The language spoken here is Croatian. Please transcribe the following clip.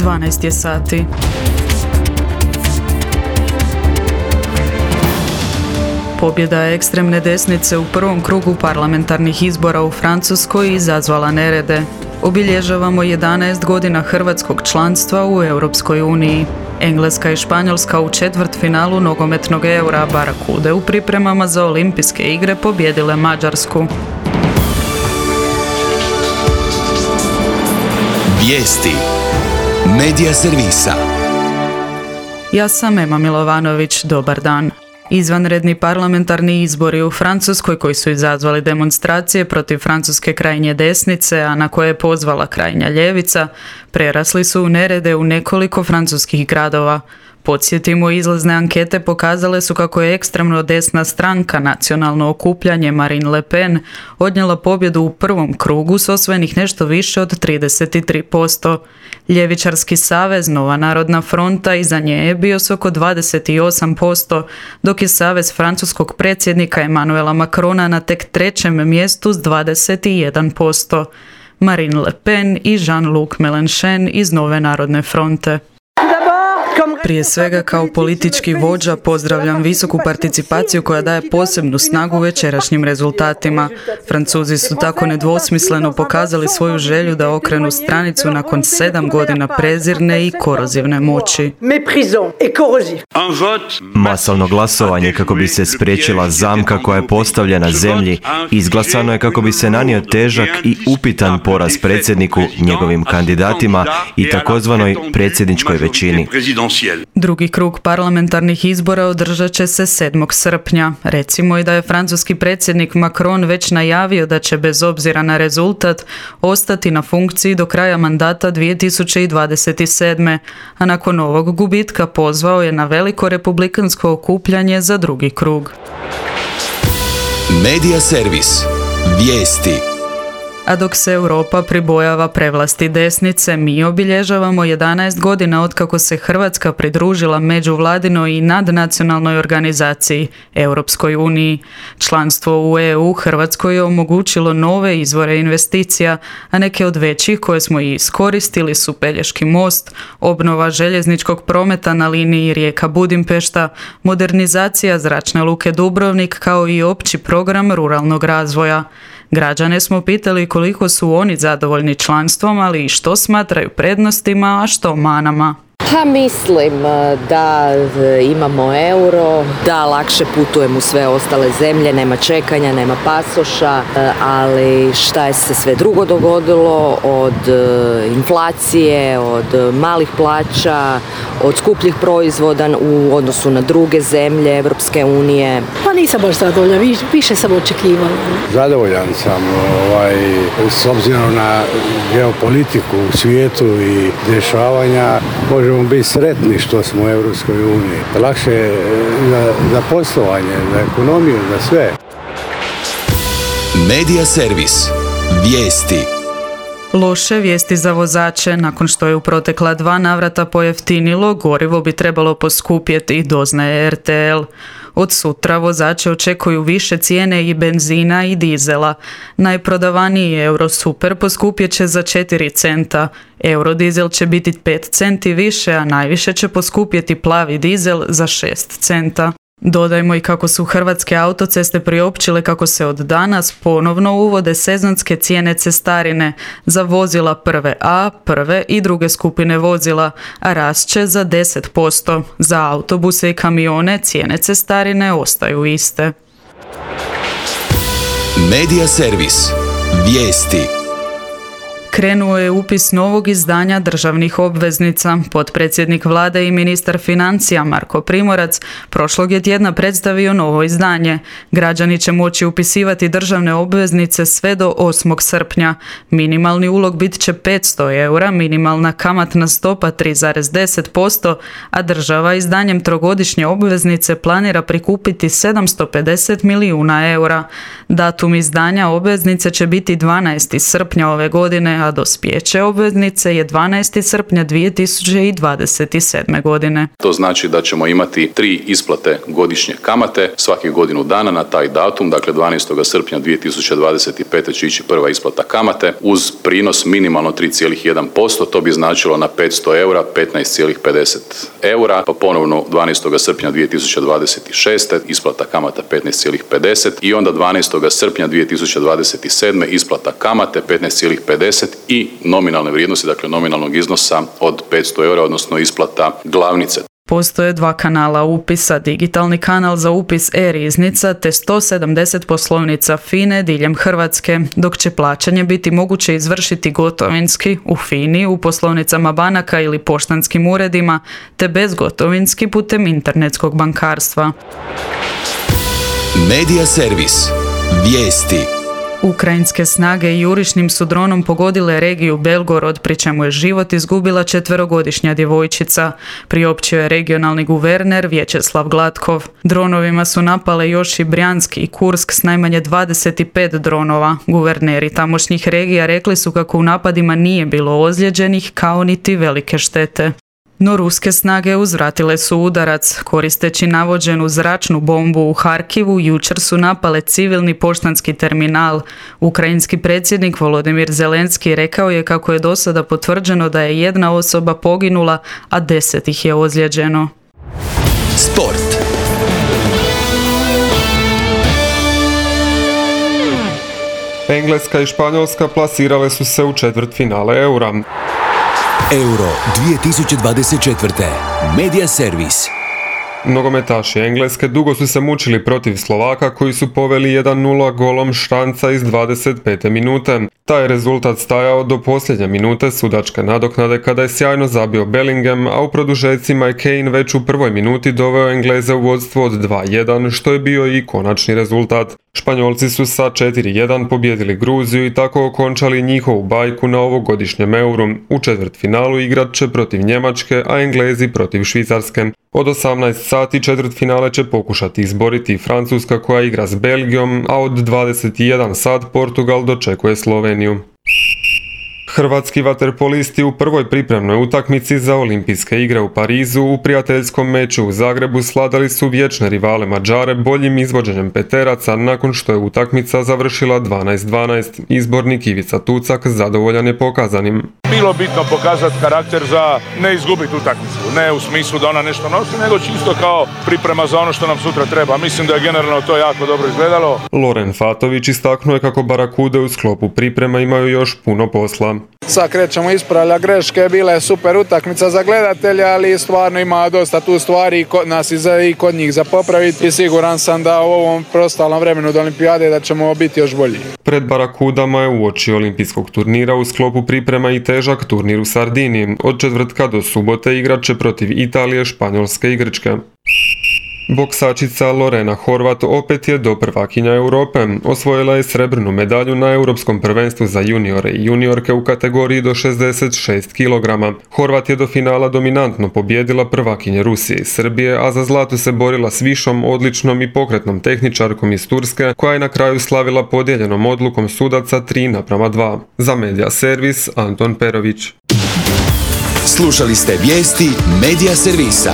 12 je sati. Pobjeda ekstremne desnice u prvom krugu parlamentarnih izbora u Francuskoj izazvala nerede. Obilježavamo 11 godina hrvatskog članstva u Europskoj uniji. Engleska i Španjolska u četvrtfinalu nogometnog Eura Barakude u pripremama za olimpijske igre pobjedile Mađarsku. Vijesti Medija servisa. Ja sam Ema Milovanović, dobar dan. Izvanredni parlamentarni izbori u Francuskoj koji su izazvali demonstracije protiv francuske krajnje desnice, a na koje je pozvala krajnja ljevica, prerasli su u nerede u nekoliko francuskih gradova. Podsjetimo, izlazne ankete pokazale su kako je ekstremno desna stranka Nacionalno okupljanje Marine Le Pen odnijela pobjedu u prvom krugu s osvojenih nešto više od 33%. Ljevičarski savez Nova narodna fronta iza nje je bio s oko 28%, dok je savez francuskog predsjednika Emmanuela Macrona na tek trećem mjestu s 21%. Marine Le Pen i Jean-Luc Mélenchon iz Nove narodne fronte. Prije svega, kao politički vođa pozdravljam visoku participaciju koja daje posebnu snagu večerašnjim rezultatima. Francuzi su tako nedvosmisleno pokazali svoju želju da okrenu stranicu nakon 7 godina prezirne i korozivne moći. Masovno glasovanje kako bi se spriječila zamka koja je postavljena zemlji izglasano je kako bi se nanio težak i upitan poraz predsjedniku, njegovim kandidatima i takozvanoj predsjedničkoj većini. Drugi krug parlamentarnih izbora održat će se 7. srpnja. Recimo i da je francuski predsjednik Macron već najavio da će bez obzira na rezultat ostati na funkciji do kraja mandata 2027. A nakon ovog gubitka pozvao je na veliko republikansko okupljanje za drugi krug. Medija servis. Vijesti. A dok se Europa pribojava prevlasti desnice, mi obilježavamo 11 godina otkako se Hrvatska pridružila međuvladinoj i nadnacionalnoj organizaciji Europskoj uniji. Članstvo u EU Hrvatskoj je omogućilo nove izvore investicija, a neke od većih koje smo i iskoristili su Pelješki most, obnova željezničkog prometa na liniji Rijeka-Budimpešta, modernizacija zračne luke Dubrovnik kao i opći program ruralnog razvoja. Građane smo pitali koliko su oni zadovoljni članstvom, ali i što smatraju prednostima, a što manama. Mislim da imamo euro, da lakše putujem u sve ostale zemlje, nema čekanja, nema pasoša, ali šta je se sve drugo dogodilo od inflacije, od malih plaća, od skupljih proizvoda u odnosu na druge zemlje Evropske unije. Pa nisam baš zadovoljna, više sam očekivala. Zadovoljan sam s obzirom na geopolitiku u svijetu i dešavanja, možemo biti sretni što smo u Europskoj uniji. Lakše je za poslovanje, za ekonomiju, za sve. Medija servis. Vijesti. Loše vijesti za vozače. Nakon što je u protekla 2 navrata pojeftinilo, gorivo bi trebalo poskupjeti, doznaje RTL. Od sutra vozače očekuju više cijene i benzina i dizela. Najprodavaniji Eurosuper poskupjet će za 4 centa. Eurodizel će biti 5 centi više, a najviše će poskupjeti plavi dizel za 6 centa. Dodajmo i kako su Hrvatske autoceste priopćile kako se od danas ponovno uvode sezonske cijene cestarine za vozila prve A, prve i druge skupine vozila, a rast će za 10%. Za autobuse i kamione cijene cestarine ostaju iste. Medija servis. Vijesti. Krenuo je upis novog izdanja državnih obveznica. Potpredsjednik vlade i ministar financija Marko Primorac prošlog je tjedna predstavio novo izdanje. Građani će moći upisivati državne obveznice sve do 8. srpnja. Minimalni ulog bit će 500 eura, minimalna kamatna stopa 3,10%, a država izdanjem trogodišnje obveznice planira prikupiti 750 milijuna eura. Datum izdanja obveznice će biti 12. srpnja ove godine, a dospijeće obveznice je 12. srpnja 2027. godine. To znači da ćemo imati 3 isplate godišnje kamate svakih godinu dana na taj datum, dakle 12. srpnja 2025. će ići prva isplata kamate uz prinos minimalno 3,1%, to bi značilo na 500 eura 15,50 eura, pa ponovno 12. srpnja 2026. isplata kamata 15,50 i onda 12. srpnja 2027. isplata kamate 15,50 i nominalne vrijednosti, dakle nominalnog iznosa od 500 eura, odnosno isplata glavnice. Postoje 2 kanala upisa, digitalni kanal za upis e-riznica te 170 poslovnica FINE diljem Hrvatske, dok će plaćanje biti moguće izvršiti gotovinski u FINI, u poslovnicama banaka ili poštanskim uredima, te bezgotovinski putem internetskog bankarstva. Medija servis. Vijesti. Ukrajinske snage jurišnim su dronom pogodile regiju Belgorod, pri čemu je život izgubila 4-godišnja djevojčica, priopćio je regionalni guverner Vječeslav Glatkov. Dronovima su napale još i Brjansk i Kursk s najmanje 25 dronova. Guverneri tamošnjih regija rekli su kako u napadima nije bilo ozlijeđenih, kao niti velike štete. No ruske snage uzvratile su udarac. Koristeći navođenu zračnu bombu u Harkivu, jučer su napale civilni poštanski terminal. Ukrajinski predsjednik Volodimir Zelenski rekao je kako je do sada potvrđeno da je 1 osoba poginula, a 10 ih je ozlijeđeno. Sport. Engleska i Španjolska plasirale su se u četvrtfinale Eura. Euro 2024. Medija servis. Nogometaši Engleske dugo su se mučili protiv Slovaka koji su poveli 1-0 golom Štanca iz 25. minute. Taj rezultat stajao do posljednje minute sudačke nadoknade kada je sjajno zabio Bellingham, a u produžecima je Kane već u prvoj minuti doveo Engleze u vodstvo od 2-1, što je bio i konačni rezultat. Španjolci su sa 4-1 pobjedili Gruziju i tako okončali njihovu bajku na ovogodišnjem Euru. U četvrtfinalu igrat će protiv Njemačke, a Englezi protiv Švicarske. Od 18 sati četvrtfinale će pokušati izboriti Francuska koja igra s Belgijom, a od 21 sat Portugal dočekuje Sloveniju. Hrvatski vaterpolisti u prvoj pripremnoj utakmici za olimpijske igre u Parizu u prijateljskom meču u Zagrebu svladali su vječne rivale Mađare boljim izvođenjem peteraca nakon što je utakmica završila 12-12. Izbornik Ivica Tucak zadovoljan je pokazanim. Bilo bitno pokazati karakter za ne izgubiti utakmicu, ne u smislu da ona nešto nosi, nego čisto kao priprema za ono što nam sutra treba. Mislim da je generalno to jako dobro izgledalo. Loren Fatović istaknuo je kako Barakude u sklopu priprema imaju još puno posla. Sad krećemo ispravljati greške, bila je super utakmica za gledatelja, ali stvarno ima dosta tu stvari kod nas i kod njih za popraviti i siguran sam da u ovom preostalom vremenu do olimpijade da ćemo biti još bolji. Pred Barakudama je uoči olimpijskog turnira u sklopu priprema i težak turnir u Sardiniji. Od četvrtka do subote igrat će protiv Italije, Španjolske i Grčke. Boksačica Lorena Horvat opet je doprvakinja Europe. Osvojila je srebrnu medalju na Europskom prvenstvu za juniore i juniorke u kategoriji do 66 kg. Horvat je do finala dominantno pobjedila prvakinje Rusije i Srbije, a za zlato se borila s višom, odličnom i pokretnom tehničarkom iz Turske, koja je na kraju slavila podijeljenom odlukom sudaca 3:2. Za Medija servis Anton Perović. Slušali ste vijesti Medija servisa.